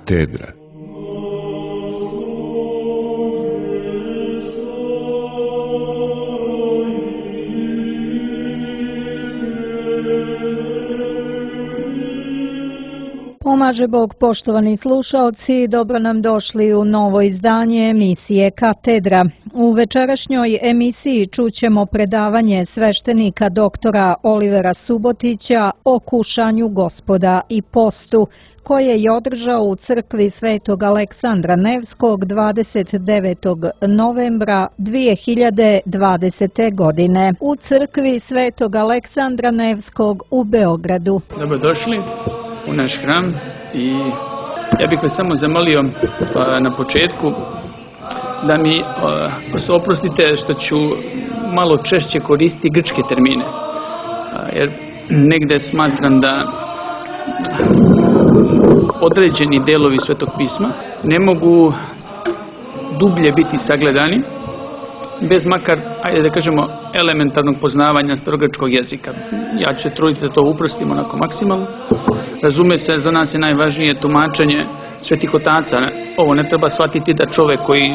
Katedra. Pomaže Bog, poštovani slušaoci, dobro nam došli u novo izdanje emisije Katedra. U večerašnjoj emisiji čućemo predavanje sveštenika doktora Olivera Subotića o kušanju Gospoda i postu, koje je održao u crkvi Svetog Aleksandra Nevskog 29. novembra 2020. godine u crkvi Svetog Aleksandra Nevskog u Beogradu. Dobrodošli u naš hram i ja bih vas samo zamolio na početku da mi oprostite što ću malo češće koristiti grčke termine, jer negde smatram da određeni delovi Svetog pisma ne mogu dublje biti sagledani bez makar, ajde da kažemo, elementarnog poznavanja starogrčkog jezika. Ja ću se truditi da to uprostim onako maksimalno. Razume se, za nas je najvažnije tumačenje svetih otaca. Ovo ne treba shvatiti da čovjek koji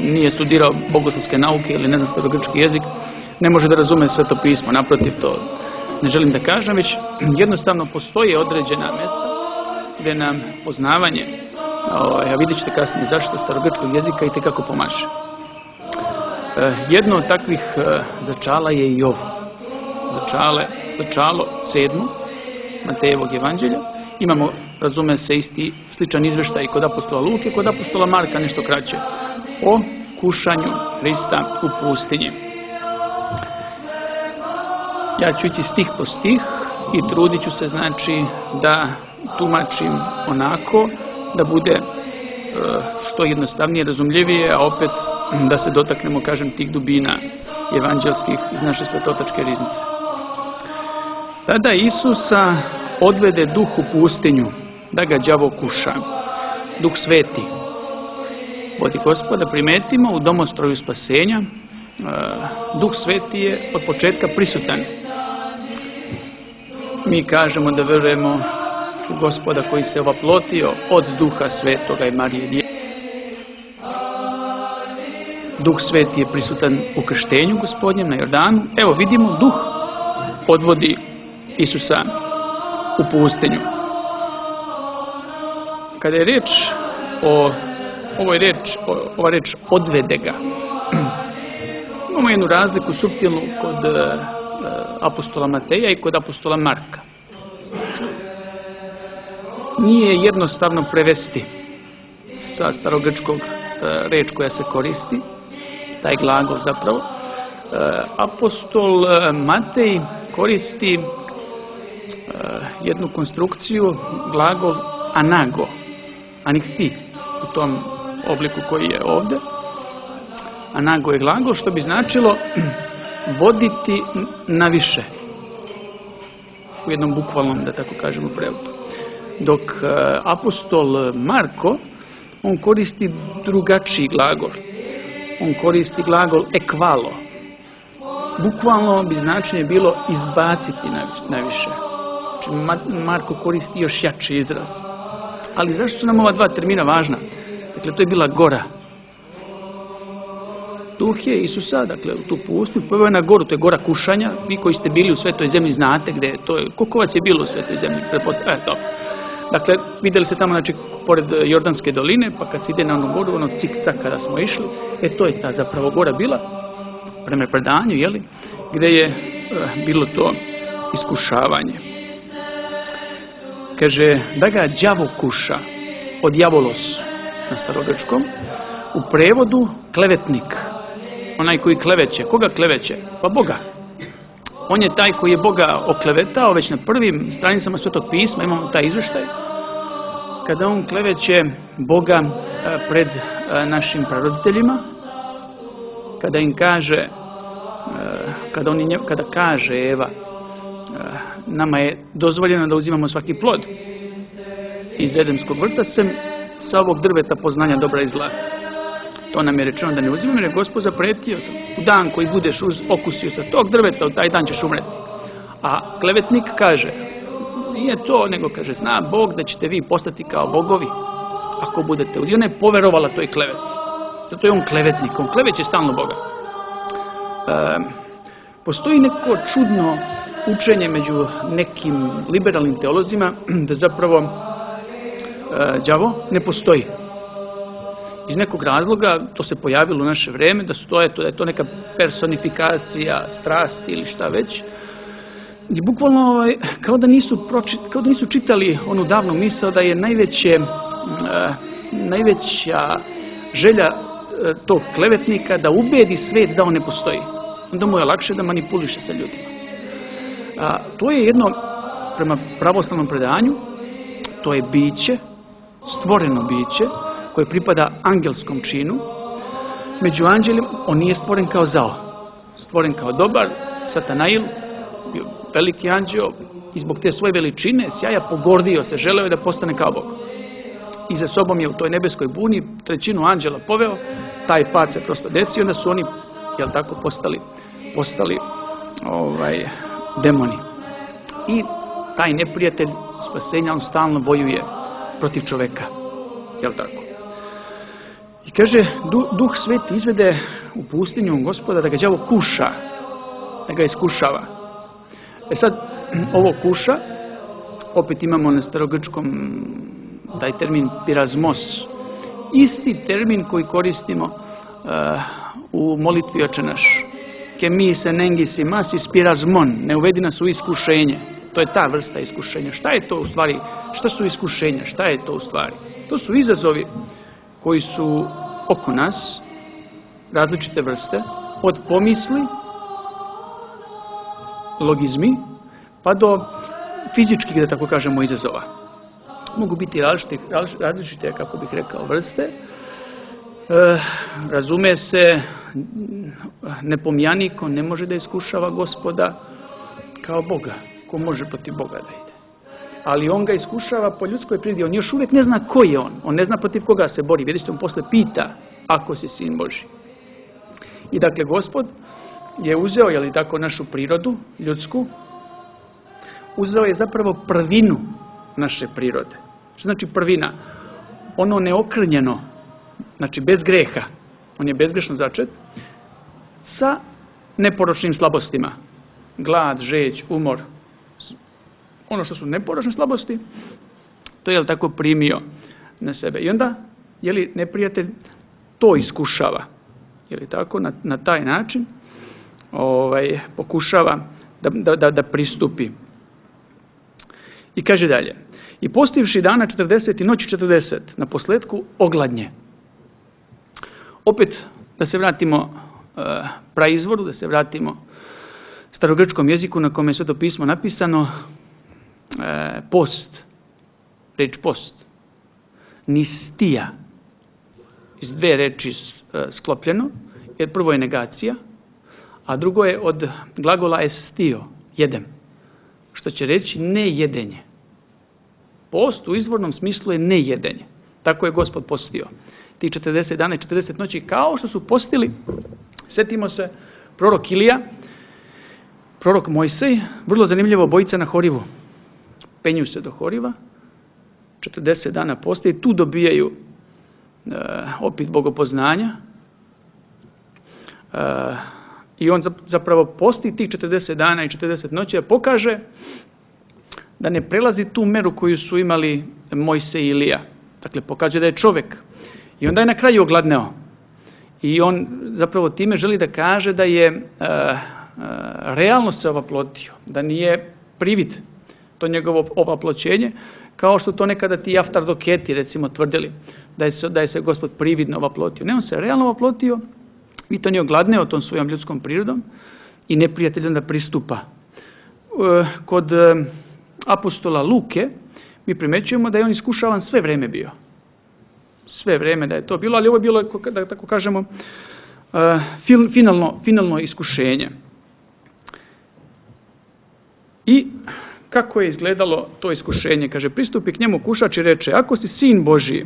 nije studirao bogoslovske nauke ili ne zna starogrčki jezik ne može da razume Sveto pismo. Naprotiv, to ne želim da kažem, već jednostavno postoje određena mjesta gdje nam poznavanje, a vidjet ćete kasnije zašto, starogrčkog jezika i tekako pomaže. Jedno od takvih začala je i ovo. Začalo 7. Matejevog evanđelja. Imamo, razume se, sličan izveštaj kod apostola Luke, kod apostola Marka nešto kraće, o kušanju Hrista u pustinji. Ja ću ići stih po stih i trudit ću se, znači, da tumačim onako da bude što jednostavnije, razumljivije, a opet da se dotaknemo, kažem, tih dubina evanđelskih iz naše svetotačke riznice. Tada Isusa odvede duh u pustinju, da ga đavo kuša. Duh sveti vodi Gospoda, primetimo u domostroju spasenja. Duh sveti je od početka prisutan. Mi kažemo da verujemo u Gospoda koji se ovaplotio od Duha Svetoga i Marije Djeve. Duh sveti je prisutan u krštenju Gospodnjem na Jordanu. Evo vidimo, duh odvodi Isusa u pustinju. Kada je reč o ova reč odvede ga, imamo jednu razliku suptilnu kod apostola Mateja i kod apostola Marka. Nije jednostavno prevesti sa starogrčkog reč koja se koristi, taj glagol zapravo. Apostol Matej koristi jednu konstrukciju, glagol anago, aniksi, u tom obliku koji je ovdje. Anago je glagol, što bi značilo voditi na više, u jednom bukvalnom, da tako kažemo, prevodu. Dok apostol Marko, on koristi drugačiji glagol. On koristi glagol ekvalo. Bukvalno bi značenje bilo izbaciti naviše. Znači, Marko koristi još jači izraz. Ali zašto su nam ova dva termina važna? Dakle, to je bila gora. Duh je Isusa, dakle, u tu pustinju, poveo je na goru, to je gora kušanja. Vi koji ste bili u Svetoj zemlji znate gdje je to. Koliko vas je bilo u Svetoj zemlji? Dakle, vidjeli ste tamo, znači, pored Jordanske doline, pa kad se ide na onu goru, ono cik-cak kada smo išli, to je ta zapravo gora bila, prema predanju, jeli, gdje je bilo to iskušavanje. Kaže, da ga đavo kuša, od diavolos na starogrčkom, u prevodu klevetnik, onaj koji kleveće. Koga kleveće? Pa Boga. On je taj koji je Boga oklevetao, već na prvim stranicama Svetog pisma imamo taj izveštaj, kada on kleveće Boga pred našim praroditeljima, kada im kaže, kada kaže Eva, nama je dozvoljeno da uzimamo svaki plod iz Edemskog vrta sem sa ovog drveta poznanja dobra i zla. To nam je rečeno da ne uzimamo, jer je Gospod zapretio u dan koji budeš okusio sa tog drveta, u taj dan ćeš umreti. A klevetnik kaže, nije to, nego kaže, zna Bog da ćete vi postati kao bogovi. ako budete udjeli. Ona je poverovala toj kleveti. Zato je on klevetnik, on kleveće stalno Boga. Postoji neko čudno učenje među nekim liberalnim teolozima da zapravo đavo ne postoji. Iz nekog razloga to se pojavilo u naše vreme, da je to neka personifikacija strasti ili šta već. I bukvalno kao da nisu čitali onu davnu misao da je najveća želja tog klevetnika da ubedi svet da on ne postoji. Onda mu je lakše da manipuliše sa ljudima. To je jedno, prema pravoslavnom predanju, to je biće, stvoreno biće, koje pripada angelskom činu. Među anđelima on nije stvoren kao zao. Stvoren kao dobar, Satanail, bio veliki anđeo i zbog te svoje veličine, sjaja, pogordio se, želeo je da postane kao Bog. I za sobom je u toj nebeskoj buni trećinu anđela poveo, taj pad se prosto desio, onda su oni, postali demoni. I taj neprijatelj spasenja, on stalno bojuje protiv čoveka. Jel tako? I kaže, Duh Sveti izvede u pustinju Gospoda da ga đavo kuša, da ga iskušava. Sad, ovo kuša, opet imamo na starogrčkom taj termin pirazmos, isti termin koji koristimo u molitvi Oče naš. Ke mi se nengisi masis pirazmon, ne uvedi nas u iskušenje. To je ta vrsta iskušenja. Šta je to u stvari? Šta su iskušenja? Šta je to u stvari? To su izazovi koji su oko nas, različite vrste, od pomisli, logizmi, pa do fizičkih, da tako kažemo, izazova. Mogu biti različite, kako bih rekao, vrste. Razume se, nepomijani ko ne može da iskušava Gospoda kao Boga. Ko može protiv Boga da ide. Ali on ga iskušava po ljudskoj prirodi. On još uvijek ne zna ko je on. On ne zna protiv koga se bori. Vidite, on posle pita ako si sin Božji. I dakle, Gospod je uzeo, je li tako, našu prirodu, ljudsku, uzeo je zapravo prvinu naše prirode. Što znači prvina? Ono neokrnjeno, znači bez greha, on je bezgrešno začet, sa neporočnim slabostima. Glad, žeđ, umor. Ono što su neporočne slabosti, to je tako primio na sebe. I onda, je li neprijatelj to iskušava, je li tako, na taj način pokušava da pristupi. I kaže dalje, i postivši dana 40 i noći 40, na posledku ogladnje. Opet, da se vratimo praizvoru, da se vratimo starogrčkom jeziku na kome je Sveto pismo napisano, post, reč post, nistija, iz dve reči sklopljeno, jer prvo je negacija, a drugo je od glagola estio, jedem, što će reći nejedenje. Post u izvornom smislu je nejedenje. Tako je Gospod postio. Ti 40 dana i 40 noći, kao što su postili, setimo se, prorok Ilija, prorok Mojsej, vrlo zanimljivo, obojica na Horivu. Penju se do Horiva, 40 dana poste i tu dobijaju opet bogopoznanja. I on zapravo posti tih 40 dana i 40 noći, a pokaže da ne prelazi tu meru koju su imali Mojsej i Ilija. Dakle, pokaže da je čovjek. I onda je na kraju ogladneo. I on zapravo time želi da kaže da je realno se ovaplotio, da nije privid to njegovo ovaploćenje, kao što to nekada ti aftardoketi recimo tvrdili, da je se Gospod prividno ovaplotio. Ne, on se realno ovaplotio i to nije ogladneo tom svojom ljudskom prirodom i neprijatelj onda pristupa. Kod apostola Luke mi primećujemo da je on iskušavan sve vreme bio. Sve vreme da je to bilo, ali ovo je bilo, da tako kažemo, finalno iskušenje. I kako je izgledalo to iskušenje? Kaže, pristupi k njemu kušač i reče, ako si sin Božji,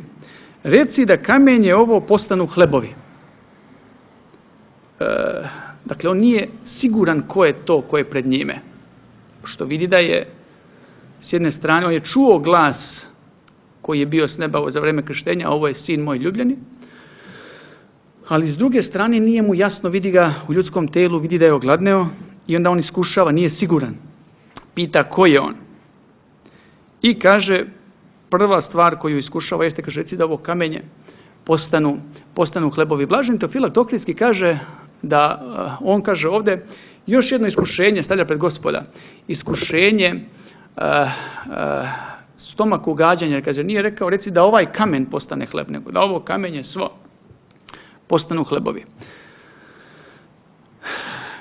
reci da kamenje ovo postanu hlebovi. Dakle, on nije siguran ko je to ko je pred njime. Što vidi da je, s jedne strane, on je čuo glas koji je bio s neba za vreme krštenja, ovo je sin moj ljubljeni. Ali s druge strane nije mu jasno, vidi ga u ljudskom telu, vidi da je ogladneo i onda on iskušava, nije siguran. Pita ko je on. I kaže, prva stvar koju iskušava jeste, kaže, reci da ovo kamenje postanu hlebovi. Blaženi Teofilak Ohridski kaže da, on kaže ovdje, još jedno iskušenje stavlja pred Gospoda. Iskušenje stomaku ugađanja, jer kaže, nije rekao, reci da ovaj kamen postane hleb, nego da ovo kamenje svo postanu hlebovi.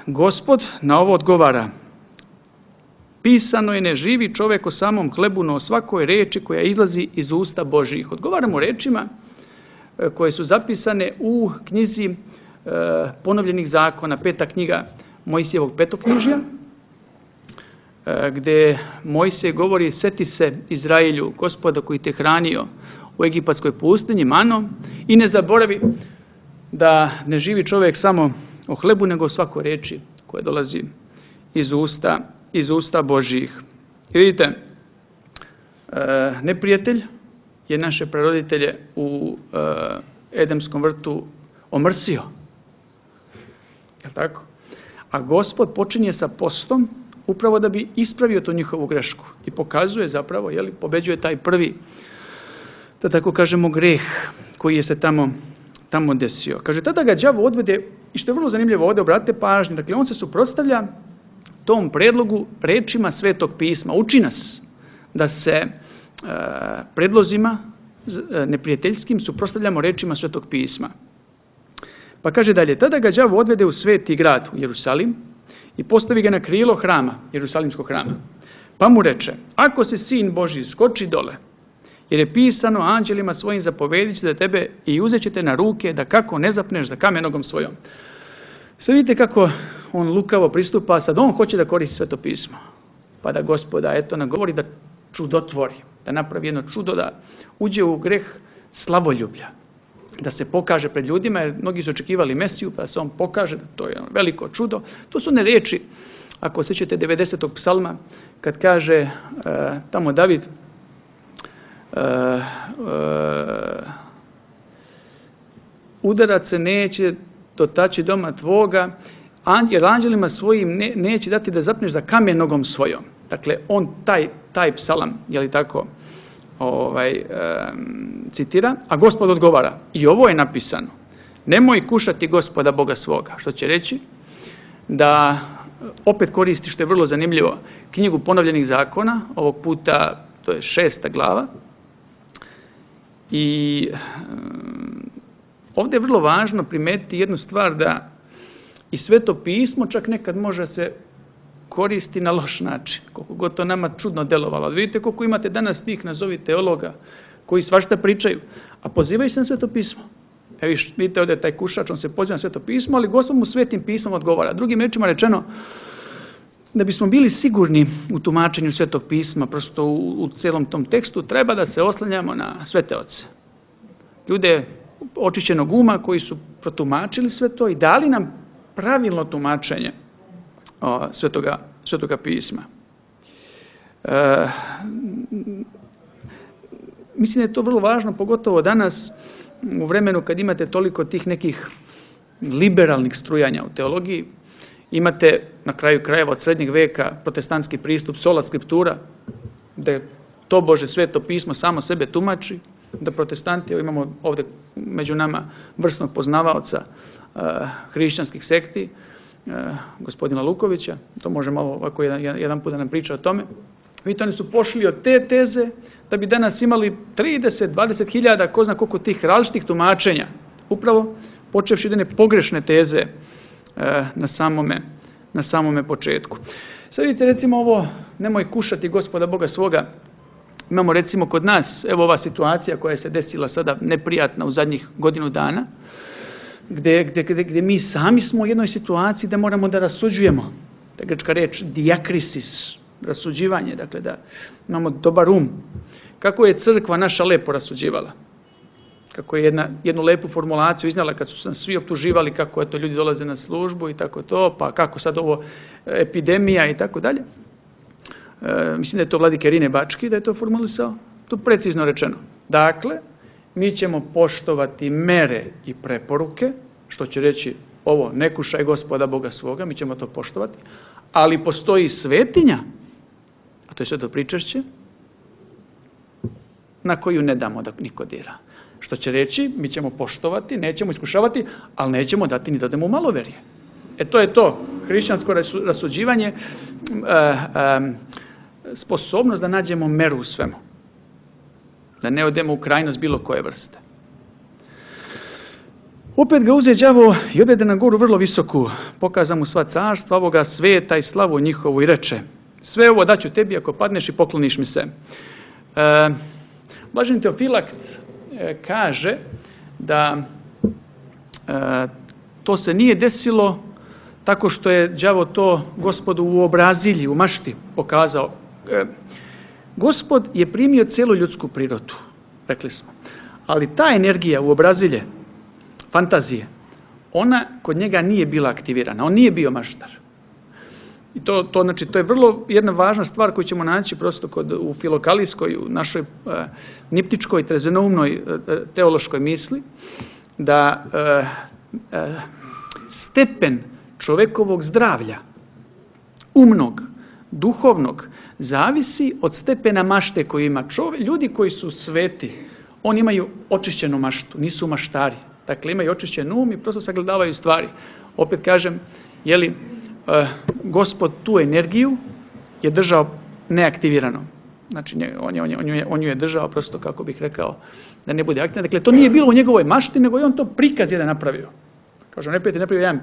Gospod na ovo odgovara, pisano je ne živi čovjek o samom hlebu, no o svakoj reči koja izlazi iz usta Božjih. Odgovaramo rečima koje su zapisane u knjizi ponovljenih zakona, 5. knjiga Mojsijevog petoknjižja, gdje Mojsije govori, seti se Izraelju, Gospoda koji te hranio u egipatskoj pustinji manom, i ne zaboravi da ne živi čovjek samo o hlebu, nego o svakoj reči koja dolazi iz usta Božjih. I vidite, neprijatelj je naše praroditelje u Edemskom vrtu omrsio. Je tako? A Gospod počinje sa postom upravo da bi ispravio tu njihovu grešku i pokazuje zapravo, pobeđuje taj prvi, da tako kažemo, greh koji je se tamo desio. Kaže, tada ga đavo odvede, i što je vrlo zanimljivo ovdje, obratite pažnju, dakle, on se suprotstavlja tom predlogu rečima Svetog pisma. Uči nas da se predlozima neprijateljskim suprotstavljamo rečima Svetog pisma. Pa kaže dalje, tada ga đavo odvede u sveti grad, u Jerusalim, i postavi ga na krilo hrama, Jerusalimskog hrama. Pa mu reče, ako si sin Božji, skoči dole, jer je pisano anđelima svojim zapovedit će za tebe i uzet će te na ruke da kako ne zapneš za kamen nogom svojom. Sve vidite kako on lukavo pristupa, sad on hoće da koristi Sveto pismo. Pa da Gospoda, eto, nagovori da čudotvori, da napravi jedno čudo, da uđe u greh slavoljublja, da se pokaže pred ljudima, jer mnogi su očekivali Mesiju, pa se on pokaže, da to je veliko čudo. To su ne riječi, ako sjećate 90. psalma, kad kaže tamo David, udarac se neće dotaći doma tvoga, jer anđelima svojim neće dati da zapneš za kamen nogom svojom. Dakle, on taj psalam, je li tako, citira, a Gospod odgovara, i ovo je napisano, nemoj kušati Gospoda Boga svoga, što će reći da opet koristi, što je vrlo zanimljivo, knjigu ponovljenih zakona, ovog puta to je 6. glava, i ovdje je vrlo važno primetiti jednu stvar, da i Sveto pismo čak nekad može se koristi na loš način, koliko god to nama čudno delovalo. Vidite koliko imate danas tih, nazovi, teologa koji svašta pričaju, a pozivaju se na Sveto pismo. Evo vidite ovdje taj kušač, on se poziva na Sveto pismo, ali Gospod mu Svetim pismom odgovara. Drugim rečima rečeno, da bismo bili sigurni u tumačenju Svetog pisma, prosto u cijelom tom tekstu, treba da se oslanjamo na svete oce. Ljude očišćenog uma koji su protumačili sve to i dali nam pravilno tumačenje Svetoga pisma. Mislim da je to vrlo važno, pogotovo danas, u vremenu kad imate toliko tih nekih liberalnih strujanja u teologiji. Imate na kraju krajeva od srednjeg veka protestantski pristup sola scriptura, da tobože Sveto pismo samo sebe tumači, da protestanti, imamo ovdje među nama vrsnog poznavaoca hrišćanskih sekti, gospodina Lukovića, to može malo ovako jedan put da nam priča o tome. Vidite, oni su pošli od te teze da bi danas imali 30-20 hiljada, ko zna koliko tih različitih tumačenja, upravo počevši jedne pogrešne teze na samome početku. Sad vidite, recimo ovo, nemoj kušati Gospoda Boga svoga. Imamo recimo kod nas, evo ova situacija koja se desila sada neprijatna u zadnjih godinu dana, gdje mi sami smo u jednoj situaciji da moramo da rasuđujemo. Ta grčka reč diakrisis, rasuđivanje, dakle da imamo dobar um. Kako je crkva naša lepo rasuđivala. Kako je jednu lepu formulaciju iznala kad su nas svi optuživali kako eto ljudi dolaze na službu i tako to, pa kako sad ovo epidemija i tako dalje. Mislim da je to vladike Rine Bački da je to formulisao, to precizno rečeno. Dakle, mi ćemo poštovati mere i preporuke, što će reći ovo, ne kušaj Gospoda Boga svoga, mi ćemo to poštovati, ali postoji svetinja, a to je sveto pričašće, na koju ne damo da niko dira. Što će reći, mi ćemo poštovati, nećemo iskušavati, ali nećemo dati ni da odemo u maloverje. To je to, hrišćansko rasuđivanje, sposobnost da nađemo meru u svemu. Da ne odemo u krajnost bilo koje vrste. Opet ga uze đavo i odvede na goru vrlo visoku, pokaza mu sva carstva ovoga sveta i slavu njihovu i reče, sve ovo daću tebi ako padneš i pokloniš mi se. Blaženi Teofilakt kaže da to se nije desilo tako što je đavo to Gospodu u obrazilji, u mašti pokazao. Gospod je primio cijelu ljudsku prirodu, rekli smo. Ali ta energija u obrazilje, fantazije, ona kod njega nije bila aktivirana. On nije bio maštar. I znači, to je vrlo jedna važna stvar koju ćemo naći prosto u filokalijskoj, u našoj niptičkoj, trezenoumnoj teološkoj misli, da stepen čovekovog zdravlja, umnog, duhovnog, zavisi od stepena mašte koju ima čovjek. Ljudi koji su sveti, oni imaju očišćenu maštu, nisu maštari. Dakle, imaju očišćen um i prosto sagledavaju stvari. Opet kažem, Gospod tu energiju je držao neaktivirano. Znači, on ju je držao prosto, kako bih rekao, da ne bude aktivna. Dakle, to nije bilo u njegovoj mašti, nego je on to prikaz jedan napravio. Kažemo, neprijatelj napravio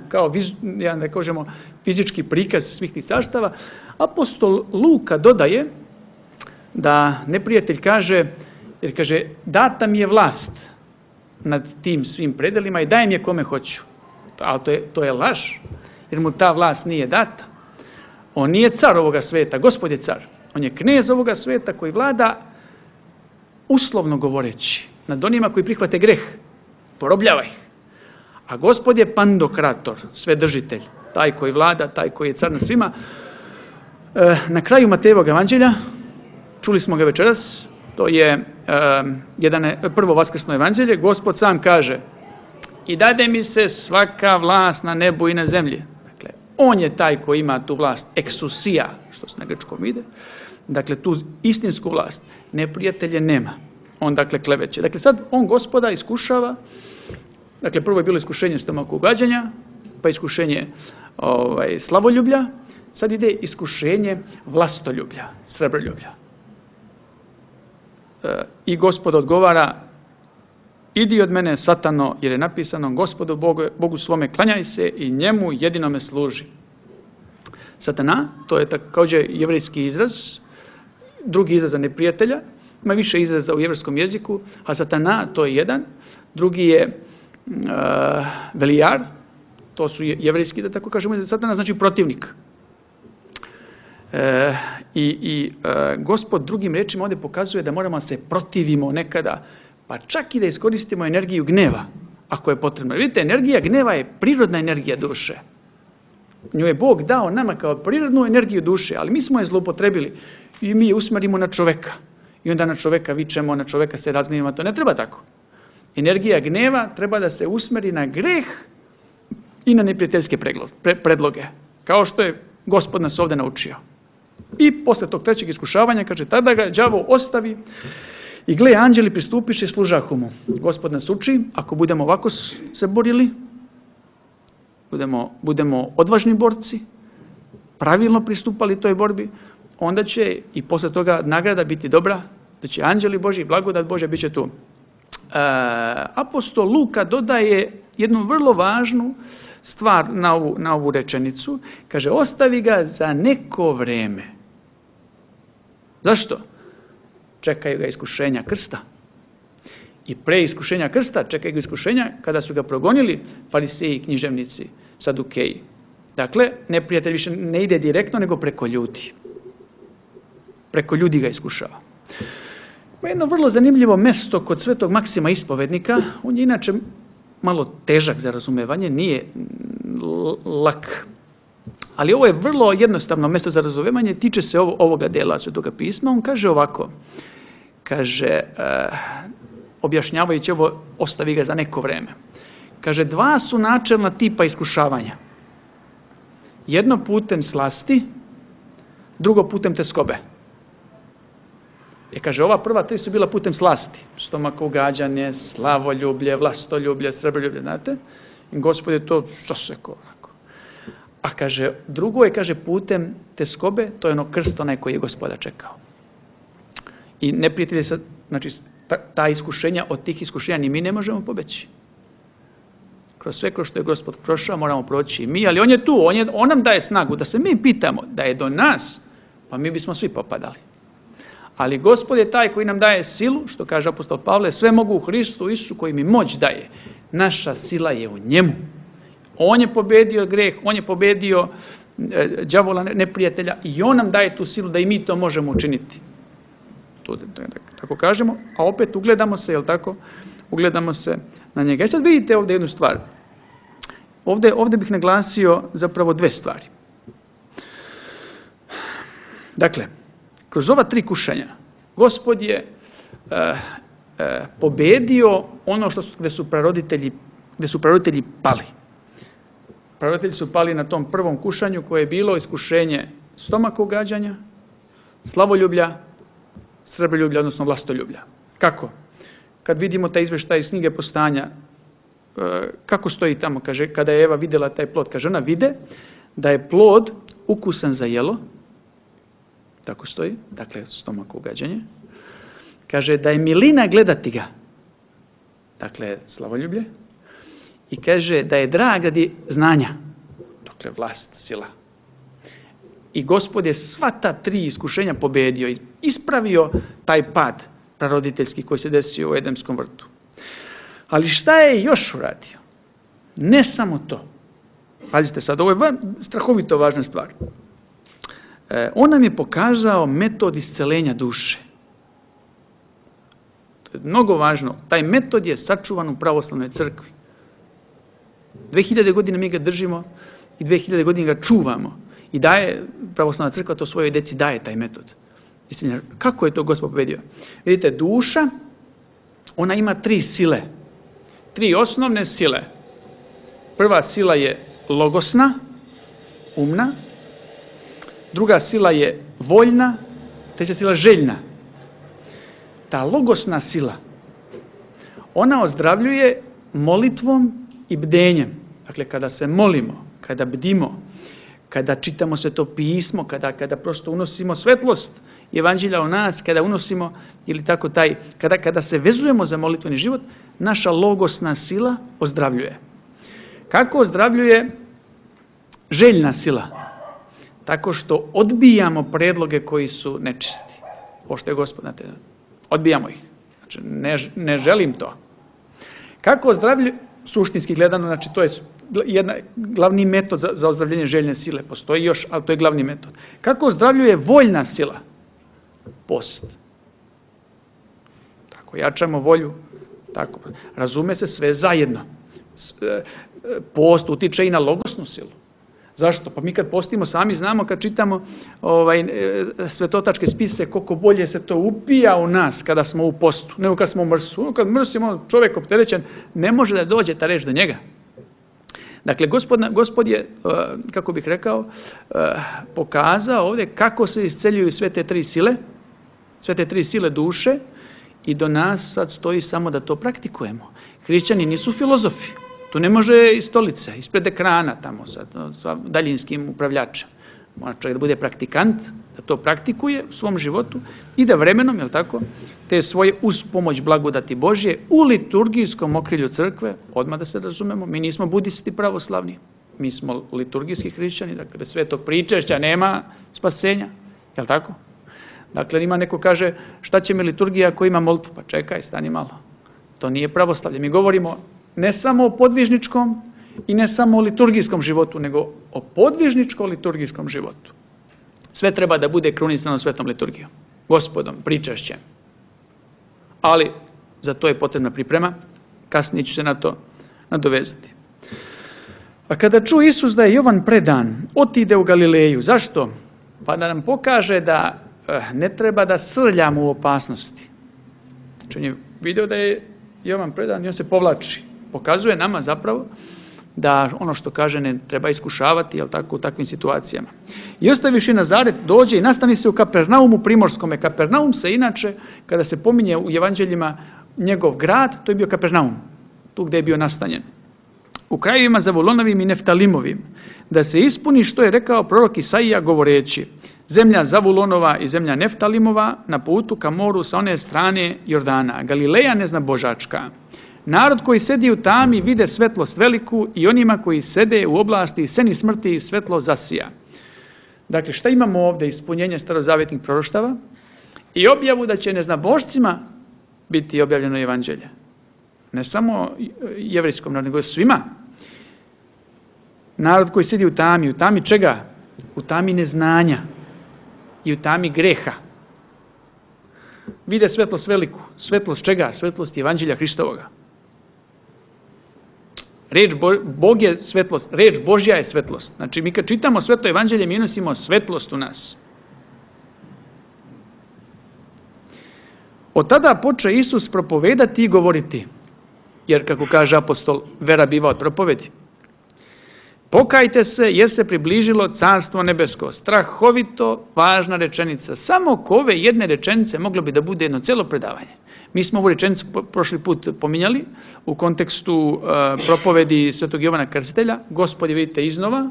jedan, da kažemo, fizički prikaz svih tih carstava. Apostol Luka dodaje da neprijatelj kaže, jer kaže, data mi je vlast nad tim svim predelima i dajem je kome hoću. Ali to je laž, jer mu ta vlast nije data. On nije car ovoga sveta, Gospod je car. On je knez ovoga sveta koji vlada, uslovno govoreći, nad onima koji prihvate greh. Porobljava ih. A Gospod je pandokrator, svedržitelj, taj koji vlada, taj koji je car nad svima. Na kraju Matejevog evanđelja, čuli smo ga večeras, to je prvo vaskrsno evanđelje, Gospod sam kaže, i dade mi se svaka vlast na nebu i na zemlji. Dakle, on je taj koji ima tu vlast, eksusija, što se na grčkom ide. Dakle, tu istinsku vlast, neprijatelje nema. On, dakle, kleveće. Dakle, sad on Gospoda iskušava. Dakle, prvo je bilo iskušenje stomakog gađanja, pa iskušenje slavoljublja, sad ide iskušenje vlastoljublja, srebroljublja. I Gospod odgovara, idi od mene, Satano, jer je napisano, Gospodu Bogu svome klanjaj se i njemu jedinome služi. Satana, to je također jevrejski izraz, drugi izraz za neprijatelja, ima više izraza u jevrijskom jeziku, a Satana to je jedan, drugi je Velijar, to su jevrejski, da tako kažemo, Satana znači protivnik. Gospod drugim rečima ovdje pokazuje da moramo se protivimo nekada, pa čak i da iskoristimo energiju gneva, ako je potrebno. Vidite, energija gneva je prirodna energija duše. Nju je Bog dao nama kao prirodnu energiju duše, ali mi smo je zloupotrebili i mi je usmerimo na čoveka. I onda na čoveka vičemo, na čoveka se razgnevimo, to ne treba tako. Energija gneva treba da se usmeri na greh i na neprijateljske predloge, kao što je Gospod nas ovdje naučio. I posle tog trećeg iskušavanja, kaže, tada ga đavo ostavi i gle, anđeli pristupiše i služahu mu. Gospod nas uči, ako budemo ovako se borili, budemo odvažni borci, pravilno pristupali toj borbi, onda će i posle toga nagrada biti dobra, da će anđeli Božji, blagodat Božja bit će tu. Apostol Luka dodaje jednu vrlo važnu stvar na ovu rečenicu. Kaže, ostavi ga za neko vreme. Zašto? Čekaju ga iskušenja krsta. I pre iskušenja krsta čekaju ga iskušenja kada su ga progonili fariseji i književnici, sadukeji. Dakle, neprijatelj više ne ide direktno, nego preko ljudi. Preko ljudi ga iskušava. Jedno vrlo zanimljivo mesto kod svetog Maksima ispovednika, on je inače malo težak za razumevanje, nije lak. Ali ovo je vrlo jednostavno mesto za razumevanje, tiče se ovoga dela Svetoga pisma. On kaže ovako, kaže, objašnjavajući ovo, ostavi ga za neko vreme. Kaže, dva su načelna tipa iskušavanja. Jedno putem slasti, drugo putem tjeskobe. Kaže, ova prva tri su bila putem slasti. Stomako ugađanje, slavoljublje, vlastoljublje, srebroljublje, znate? I Gospod je to sasekao. A kaže, drugo je, kaže, putem tjeskobe, to je ono krst onaj koji je Gospoda čekao. I neprijatelji se, znači, ta iskušenja, od tih iskušenja ni mi ne možemo pobeći. Kroz sve kroz što je Gospod prošao, moramo proći i mi, ali on je tu, on nam daje snagu, da se mi pitamo da je do nas, pa mi bismo svi popadali. Ali Gospod je taj koji nam daje silu, što kaže apostol Pavle, sve mogu u Hristu Isusu koji mi moć daje. Naša sila je u njemu. On je pobedio greh, on je pobedio đavola, neprijatelja, i on nam daje tu silu da i mi to možemo učiniti. To, tako kažemo, a opet ugledamo se, jel tako? Ugledamo se na njega. I sad vidite ovdje jednu stvar. Ovdje bih naglasio zapravo dve stvari. Dakle, kroz ova tri kušanja Gospod je pobedio ono gdje su praroditelji pali. Praroditelji su pali na tom prvom kušanju koje je bilo iskušenje stomaka ugađanja, slavoljublja, srebroljublja, odnosno vlastoljublja. Kako? Kad vidimo taj izvještaj iz knjige Postanja, kako stoji tamo, kaže, kada je Eva vidjela taj plod, kaže, ona vide da je plod ukusan za jelo, tako stoji, dakle, stomako ugađanje, kaže da je milina gledati ga, dakle, slavoljublje, i kaže da je drag radi znanja, dakle, vlast, sila. I Gospod je sva ta tri iskušenja pobedio i ispravio taj pad praroditeljski koji se desio u Edemskom vrtu. Ali šta je još uradio? Ne samo to. Pazite sad, ovo je strahovito važna stvar. On nam je pokazao metod isceljenja duše. To je mnogo važno. Taj metod je sačuvan u pravoslavnoj crkvi. 2000 godina mi ga držimo i 2000 godina ga čuvamo. I daje pravoslavna crkva to svojoj djeci, daje taj metod. Kako je to Gospod pobedio? Vidite, duša, ona ima tri sile. Tri osnovne sile. Prva sila je logosna, umna. Druga sila je voljna. Treća sila željna. Ta logosna sila, ona ozdravljuje molitvom i bdenjem. Dakle, kada se molimo, kada bdimo, kada čitamo Sveto pismo, kada prosto unosimo svetlost evanđelja u nas, kada unosimo, ili tako kada se vezujemo za molitveni život, naša logosna sila ozdravljuje. Kako ozdravljuje željna sila? Tako što odbijamo predloge koji su nečisti. Pošto je Gospod na te, odbijamo ih. Znači, ne želim to. Kako ozdravljuje, suštinski gledano, znači to je glavni metod za ozdravljenje željne sile. Postoji još, ali to je glavni metod. Kako ozdravljuje voljna sila? Post. Tako, jačamo volju. Tako, razume se sve zajedno. Post utiče i na logosnu silu. Zašto? Pa mi kad postimo sami znamo, kad čitamo svetotačke spise, koliko bolje se to upija u nas kada smo u postu, nego kad smo u mrsu. Kad mrsimo, čovjek opterećen, ne može da dođe ta reč do njega. Dakle, Gospod je, kako bih rekao, pokazao ovdje kako se isceljuju sve te tri sile duše, i do nas sad stoji samo da to praktikujemo. Hrišćani nisu filozofi. Tu ne može iz stolice, ispred ekrana tamo sa daljinskim upravljačem. Mora čovjek da bude praktikant, da to praktikuje u svom životu i da vremenom, jel tako, te svoje uz pomoć blagodati Božje u liturgijskom okrilju crkve, odmah da se razumemo, mi nismo budisti pravoslavni, mi smo liturgijski hrišćani, dakle bez svetog pričešća nema spasenja, jel tako? Dakle, ima neko kaže, šta će mi liturgija ako ima molitvu? Pa čekaj, stani malo. To nije pravoslavlje. Mi govorimo ne samo o podvižničkom i ne samo o liturgijskom životu, nego o podvižničko-liturgijskom životu. Sve treba da bude krunisano svetom liturgijom, Gospodom, pričašćem. Ali za to je potrebna priprema, kasnije ću se na to nadovezati. A kada ču Isus da je Jovan predan, otide u Galileju. Zašto? Pa da nam pokaže da ne treba da srljamo u opasnosti. Znači on je video da je Jovan predan i on se povlači. Pokazuje nama zapravo da ono što kaže ne treba iskušavati, jel tako, u takvim situacijama. I ostaviš i Nazaret, dođe i nastani se u Kapernaumu primorskome. Kapernaum se inače, kada se pominje u evanđeljima njegov grad, to je bio Kapernaum, tu gdje je bio nastanjen. U krajevima Zavulonovim i Neftalimovim, da se ispuni što je rekao prorok Isaija govoreći: zemlja Zavulonova i zemlja Neftalimova na putu ka moru sa one strane Jordana, Galileja neznabožačka. Narod koji sedi u tami vide svetlost veliku i onima koji sede u oblasti i seni smrti svetlo zasija. Dakle, šta imamo ovdje? Ispunjenje starozavjetnih proroštava i objavu da će neznabošcima biti objavljeno evanđelje. Ne samo jevrijskom narodu, nego svima. Narod koji sedi u tami čega? U tami neznanja i u tami greha. Vide svetlost veliku. Svetlost čega? Svetlost evanđelja Hristovoga. Bog je svetlost, reč Božja je svetlost. Znači mi kad čitamo sveto evanđelje mi nosimo svetlost u nas. Od tada poče Isus propovedati i govoriti, jer kako kaže apostol, vera biva od propovedi. Pokajte se jer se približilo carstvo nebesko. Strahovito važna rečenica. Samo oko ove jedne rečenice moglo bi da bude jedno cijelo predavanje. Mi smo ovu rečenicu prošli put pominjali u kontekstu propovedi svetog Jovana Krstitelja. Gospod je, vidite, iznova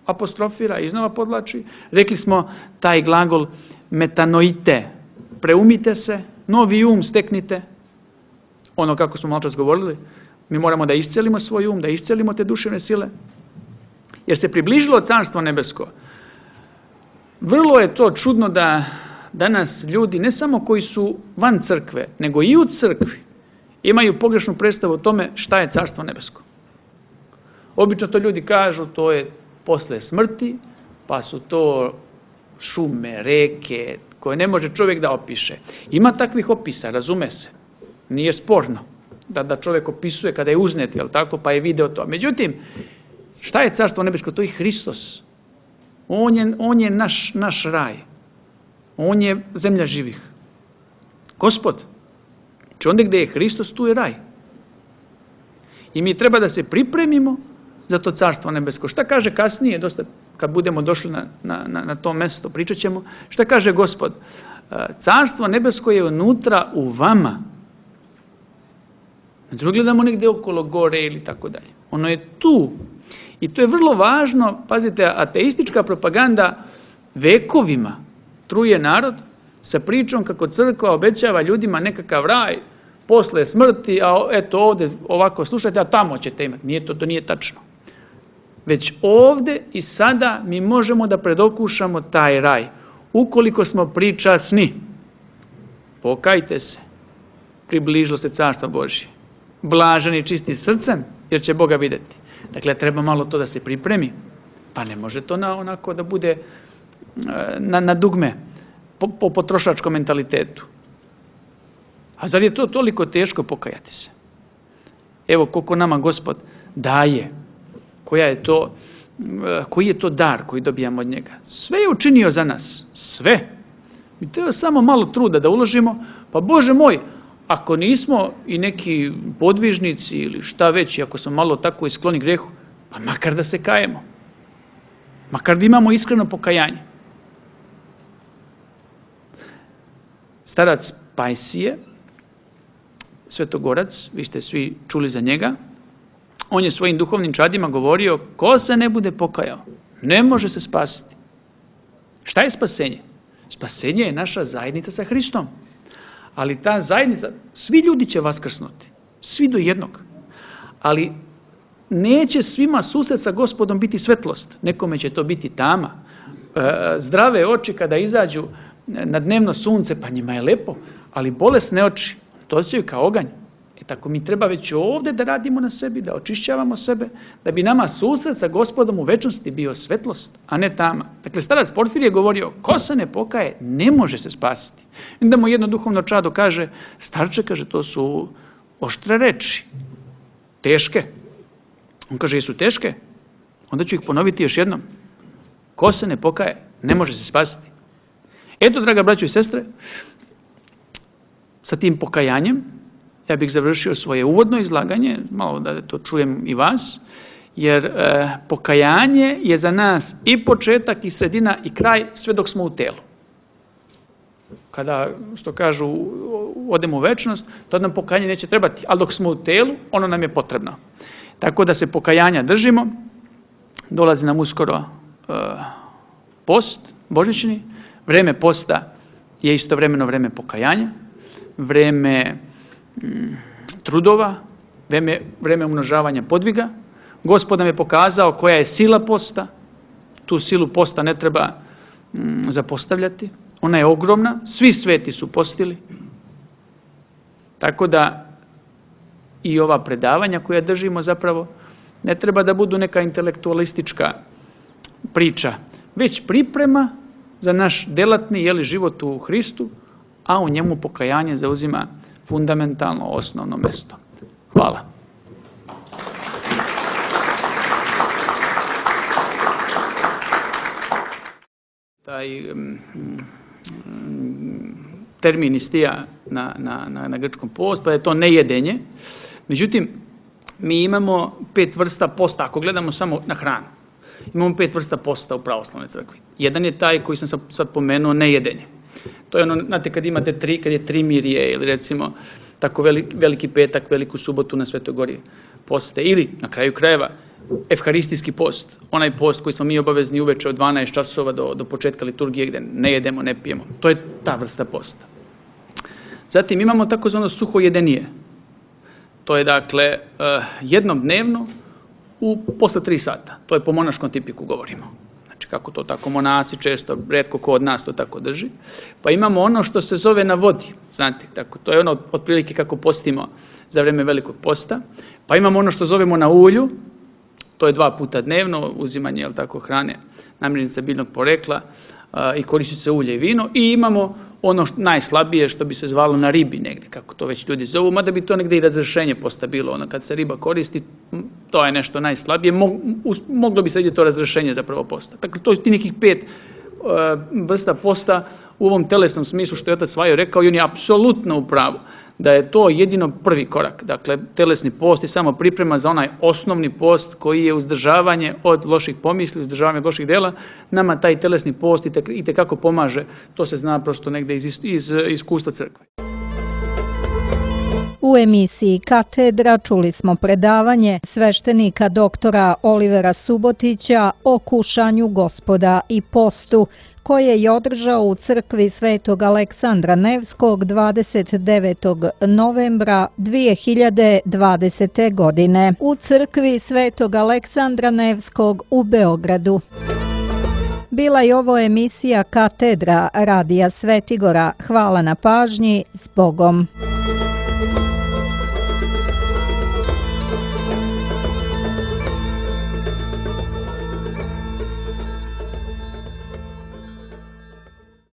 apostrofira, iznova podlači. Rekli smo taj glagol metanoite, preumite se, novi um steknite. Ono kako smo malo čas govorili, mi moramo da iscelimo svoj um, da iscelimo te duševne sile. Jer se približilo carstvo nebesko. Vrlo je to čudno da danas ljudi, ne samo koji su van crkve, nego i u crkvi, imaju pogrešnu predstavu o tome šta je carstvo nebesko. Obično to ljudi kažu, to je posle smrti, pa su to šume, reke, koje ne može čovjek da opiše. Ima takvih opisa, razume se. Nije sporno da čovjek opisuje kada je uznet, jel tako, pa je video to. Međutim, šta je carstvo nebesko? To je Hristos. On je naš raj. On je zemlja živih. Gospod. Znači onda gdje je Hristos, tu je raj. I mi treba da se pripremimo za to carstvo nebesko. Šta kaže kasnije, dosta kad budemo došli na to mesto, pričat ćemo, šta kaže Gospod? Carstvo nebesko je unutra u vama. Znači gledamo negdje okolo gore ili tako dalje. Ono je tu. I to je vrlo važno, pazite, ateistička propaganda vekovima truje narod sa pričom kako crkva obećava ljudima nekakav raj posle smrti, a eto ovdje ovako slušajte, a tamo ćete imati. To nije tačno. Već ovdje i sada mi možemo da predokušamo taj raj. Ukoliko smo pričasni, pokajte se, približilo se carstvo Božje. Blaženi čisti srcem, jer će Boga vidjeti. Dakle, treba malo to da se pripremi. Pa ne može to onako da bude na dugme, po potrošačkom mentalitetu. A zar je to toliko teško pokajati se? Evo koliko nama Gospod daje. Koji je to dar koji dobijamo od njega? Sve je učinio za nas. Sve. Mi treba samo malo truda da uložimo. Pa Bože moj, ako nismo i neki podvižnici ili šta već, ako smo malo tako iskloni grehu, pa makar da se kajemo. Makar da imamo iskreno pokajanje. Starac Pajsije, svetogorac, vi ste svi čuli za njega, on je svojim duhovnim čadima govorio, ko se ne bude pokajao, ne može se spasiti. Šta je spasenje? Spasenje je naša zajednica sa Hristom. Ali ta zajednica, svi ljudi će vaskrsnuti. Svi do jednog. Ali neće svima susret sa Gospodom biti svetlost. Nekome će to biti tama. Zdrave oči kada izađu na dnevno sunce, pa njima je lepo. Ali bolesne oči, to osjećaju kao oganj. Tako mi treba već ovdje da radimo na sebi, da očišćavamo sebe, da bi nama susret sa Gospodom u večnosti bio svetlost, a ne tama. Dakle, starac Porfir je govorio, ko se ne pokaje, ne može se spasiti. Onda mu jedno duhovno čado kaže, starče, kaže, to su oštre reči, teške. On kaže, jesu teške? Onda ću ih ponoviti još jednom. Ko se ne pokaje, ne može se spasiti. Eto, draga braćo i sestre, sa tim pokajanjem. Ja bih završio svoje uvodno izlaganje, malo da to čujem i vas, jer pokajanje je za nas i početak i sredina i kraj sve dok smo u telu. Kada, što kažu, odemo u večnost, to nam pokajanje neće trebati, ali dok smo u telu, ono nam je potrebno. Tako da se pokajanja držimo, dolazi nam uskoro post božićni, vreme posta je istovremeno vreme pokajanja, vreme trudova, vreme umnožavanja podviga. Gospod nam je pokazao koja je sila posta, tu silu posta ne treba zapostavljati, ona je ogromna, svi sveti su postili, tako da i ova predavanja koja držimo zapravo ne treba da budu neka intelektualistička priča, već priprema za naš delatni život u Hristu, a u njemu pokajanje zauzima fundamentalno osnovno mesto. Hvala. Taj termin istija na grčkom post, pa je to nejedenje. Međutim, mi imamo 5 vrsta posta, ako gledamo samo na hranu. Imamo 5 vrsta posta u pravoslavnoj crkvi. Jedan je taj koji sam sad pomenuo, nejedenje. To je ono, znate, kad je trimirje ili recimo tako veliki petak, veliku subotu na Svetoj Gori poste, ili na kraju krajeva evharistijski post, onaj post koji smo mi obavezni uveče od 12 časova do početka liturgije gdje ne jedemo, ne pijemo. To je ta vrsta posta. Zatim imamo takozvano suhojedenije. To je dakle jednom dnevno posle 3 sata. To je po monaškom tipiku govorimo. Znači kako to tako monasi često, retko ko od nas to tako drži. Pa imamo ono što se zove na vodi. Znate, tako, to je ono otprilike kako postimo za vreme velikog posta. Pa imamo ono što zovemo na ulju. To je 2 puta dnevno, uzimanje hrane namirnica biljnog porekla i koristi se ulje i vino. I imamo ono najslabije što bi se zvalo na ribi negdje, kako to već ljudi zovu, mada bi to negdje i razrešenje posta bilo, ono kad se riba koristi, to je nešto najslabije, moglo bi se vidjeti to razrešenje zapravo posta. Dakle, to je ti nekih 5 vrsta posta u ovom telesnom smislu što je otac Vajo rekao i on je apsolutno u pravu da je to jedino prvi korak. Dakle, telesni post je samo priprema za onaj osnovni post koji je uzdržavanje od loših pomisli, uzdržavanje od loših dela. Nama taj telesni post itekako pomaže. To se zna prosto negdje iz iskustva crkve. U emisiji Katedra čuli smo predavanje sveštenika doktora Olivera Subotića o kušanju Gospoda i postu, koje je održao u crkvi Svetog Aleksandra Nevskog 29. novembra 2020. godine u crkvi Svetog Aleksandra Nevskog u Beogradu. Bila je ovo emisija Katedra Radija Svetigora. Hvala na pažnji, s Bogom.